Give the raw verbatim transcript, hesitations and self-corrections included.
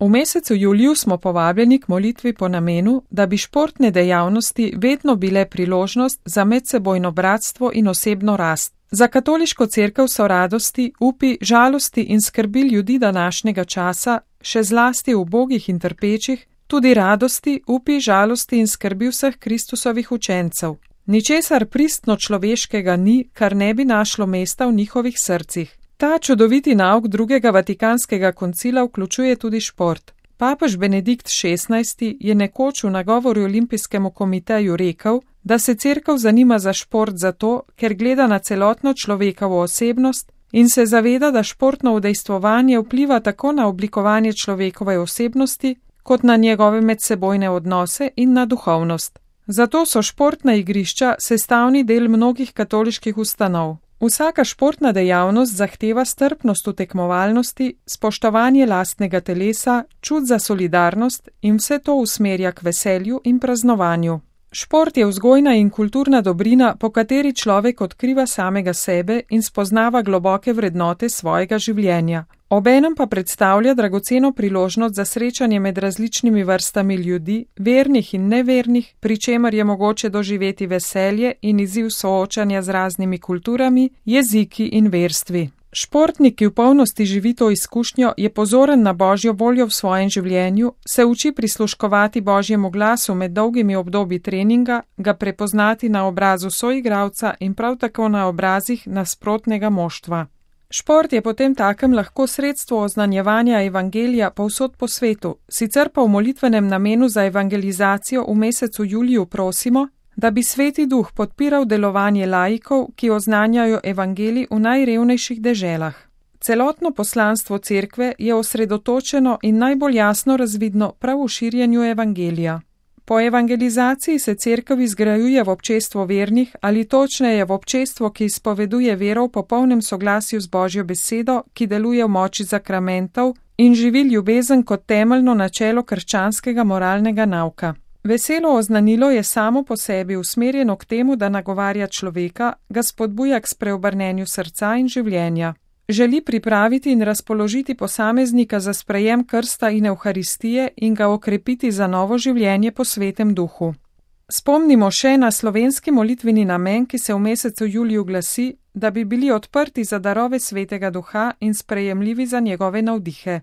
V mesecu juliju smo povabljeni k molitvi po namenu, da bi športne dejavnosti vedno bile priložnost za medsebojno bratstvo in osebno rast. Za katoliško cerkev so radosti, upi, žalosti in skrbi ljudi današnjega časa, še zlasti ubogih in trpečih, tudi radosti, upi, žalosti in skrbi vseh Kristusovih učencev. Ničesar pristno človeškega ni, kar ne bi našlo mesta v njihovih srcih. Ta čudoviti nauk drugega vatikanskega koncila vključuje tudi šport. Papež Benedikt šestnajsti je nekoč v nagovoru Olimpijskemu komiteju rekel, da se cerkev zanima za šport zato, ker gleda na celotno človekovo osebnost in se zaveda, da športno udejstvovanje vpliva tako na oblikovanje človekove osebnosti, kot na njegove medsebojne odnose in na duhovnost. Zato so športna igrišča sestavni del mnogih katoliških ustanov. Vsaka športna dejavnost zahteva strpnost v tekmovalnosti, spoštovanje lastnega telesa, čut za solidarnost in vse to usmerja k veselju in praznovanju. Šport je vzgojna in kulturna dobrina, po kateri človek odkriva samega sebe in spoznava globoke vrednote svojega življenja. Obenem pa predstavlja dragoceno priložnost za srečanje med različnimi vrstami ljudi, vernih in nevernih, pri čemer je mogoče doživeti veselje in izziv soočanja z raznimi kulturami, jeziki in verstvi. Športnik, ki v polnosti živi to izkušnjo, je pozoren na Božjo voljo v svojem življenju, se uči prisluškovati Božjemu glasu med dolgimi obdobji treninga, ga prepoznati na obrazu soigralca in prav tako na obrazih nasprotnega moštva. Šport je potem takem lahko sredstvo oznanjevanja evangelija povsod po svetu, sicer pa v molitvenem namenu za evangelizacijo v mesecu juliju prosimo, da bi Sveti Duh podpiral delovanje laikov, ki oznanjajo evangelij v najrevnejših deželah. Celotno poslanstvo cerkve je osredotočeno in najbolj jasno razvidno prav v širjenju evangelija. Po evangelizaciji se cerkev izgrajuje v občestvo vernih ali točneje v občestvo, ki izpoveduje vero v popolnem soglasju z Božjo besedo, ki deluje v moči zakramentov in živi ljubezen kot temeljno načelo krščanskega moralnega nauka. Veselo oznanilo je samo po sebi usmerjeno k temu, da nagovarja človeka, ga spodbuja k spreobrnenju srca in življenja. Želi pripraviti in razpoložiti posameznika za sprejem krsta in evharistije in ga okrepiti za novo življenje po Svetem Duhu. Spomnimo še na slovenski molitveni namen, ki se v mesecu juliju glasi, da bi bili odprti za darove Svetega Duha in sprejemljivi za njegove navdihe.